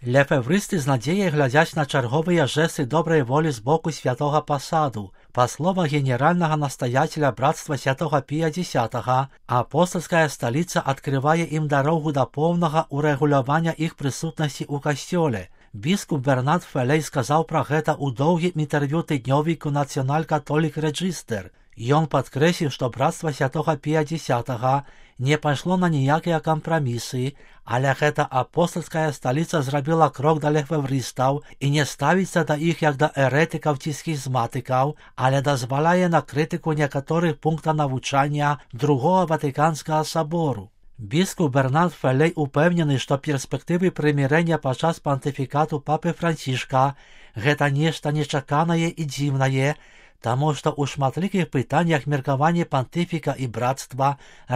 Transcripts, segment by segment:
Лефевристы з надзеяй глядзяць на чарговыя жэсты добрай волі з боку святога пасаду. Па словах генеральнага настаяцеля братства святого Пія X, апостольская сталіца адкрывае ім дарогу да поўнага урэгулявання іх прысутнасці ў касцёле. Біскуп Бернард Фелей сказаў пра гэта ў доўгім інтэрв'ю тыднёвіку National Catholic Register. Ён падкрэсліў, што братства святого Пія X не пайшло на ніякія кампрамісы, але гэта апостольская сталіца зрабіла крок да лефеврыстаў і не ставіцца да іх як да эрэтыкаў ці схізматыкаў, але дазваляе на крытыку некаторых пунктаў навучання Другого Ватыканскага сабору. Біскуп Бернард Фелей упэўнены, што перспектывы прымірэння падчас пантыфікату папы Францішка гэта нешта нечаканае і дзіўнае, таму што ў шматлікіх пытаннях меркаванні пантыфіка і братства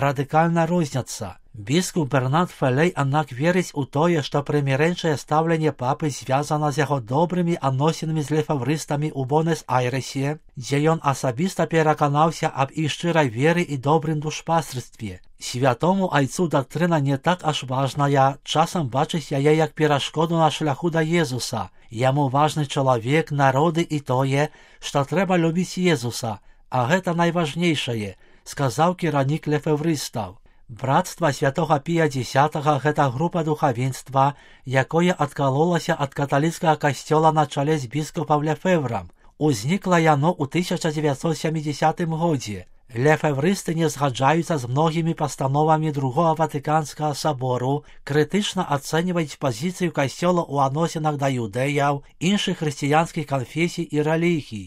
радыкальна розняцца. Біскуп Бернард Фелей, аднак, верыць у тое, што прымірэнчае стаўленне папы звязана з яго добрымі адносінамі з лефеврыстамі ў Бонэс-Айрэсе, дзе ён асабіста пераканаўся аб іх шчырай веры і добрым душпастерстве. Святому айцу дактрына не так аж важная, часам бачыць яе як перашкоду на шляху да Езуса. Яму важны чалавек, народы і тое, што трэба любіць Езуса, а гэта найважнейшае, сказаў кіраўнік лефеврыстаў. Братства святого Пія X гэта група духавенства, якое адкалолася ад каталіцкага касцёла на чале з біскупам Лефеврам. Узнікла яно ў 1970 годзе. Лефеврысты не згаджаюцца з многімі пастановамі Другого Ватыканскага сабору, крытычна ацэньваюць пазіцыю касцёла ў адносінах да юдэяў, іншых хрысціянскіх канфесій і рэлігій.